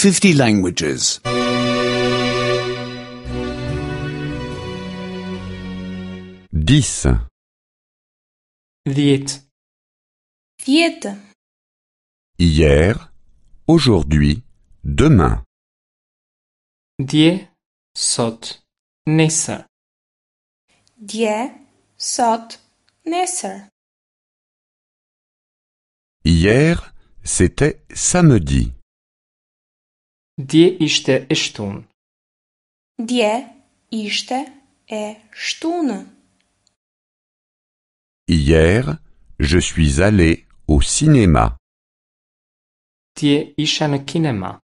50 languages. 10. 10. 10. Hier, aujourd'hui, demain. Dje, sot, nesër. Dje, sot, nesër. Hier, c'était samedi. Dje ishte e shtunë. Dje ishte e shtunë. Hier, je suis allé au cinéma. Dje isha në kinema.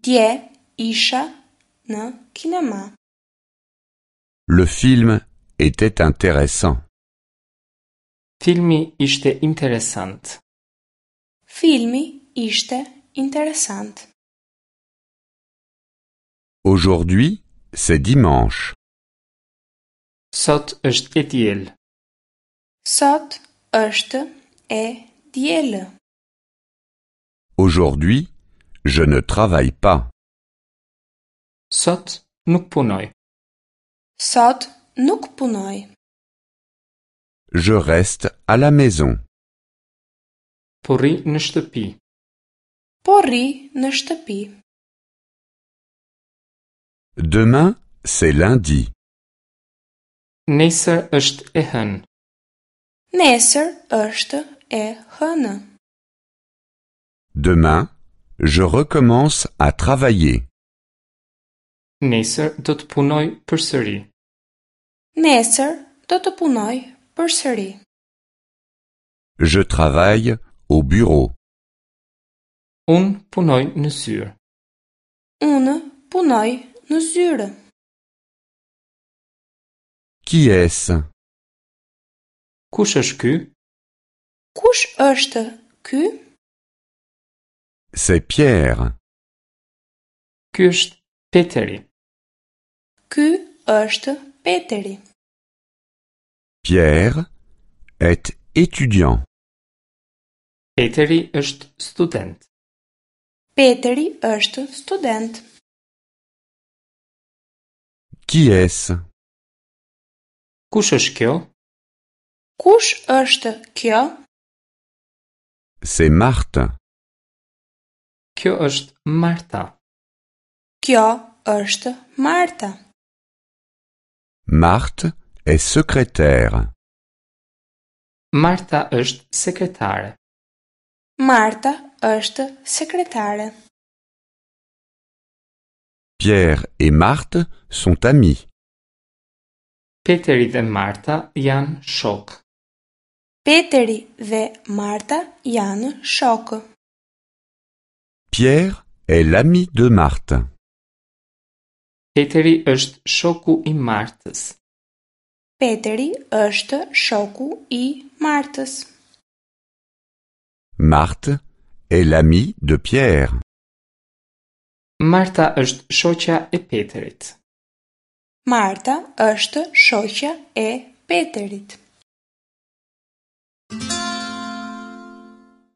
Dje isha në kinema. Le film était intéressant. Filmi ishte interesant. Filmi ishte interesant. Aujourd'hui, c'est dimanche. Sot është e diel. Sot është e diel. Aujourd'hui, je ne travaille pas. Sot nuk punoj. Sot nuk punoj. Je reste à la maison. Po rri në shtëpi. Po rri në shtëpi. Demain, c'est lundi. Nesër është e hënë. Nesër është e hënë. Demain, je recommence à travailler. Nesër do të punoj përsëri. Nesër do të punoj përsëri. Je travaille au bureau. Unë punoj në zyrë. Unë punoj në zyrë. Qui est-ce Kush është ky? Kush është ky? C'est Pierre. Ky është Peteri. Ky është Peteri. Pierre est étudiant. Peteri është student. Peteri është student. Qui est-ce Kush është kjo? Kush është kjo? C'est Marthe. Kjo është Marta. Kjo është Marta. Marthe est secrétaire. Marta është sekretare. Marta është sekretare. Pierre et Marthe sont amis. Peteri dhe Marta janë shok. Peteri dhe Marta janë shokë. Pierre est l'ami de Marthe. Peteri është shoku i Martës. Peteri është shoku i Martës. Marthe est l'amie de Pierre. Marta është shoqja e Peterit. Marta është shoqja e Peterit.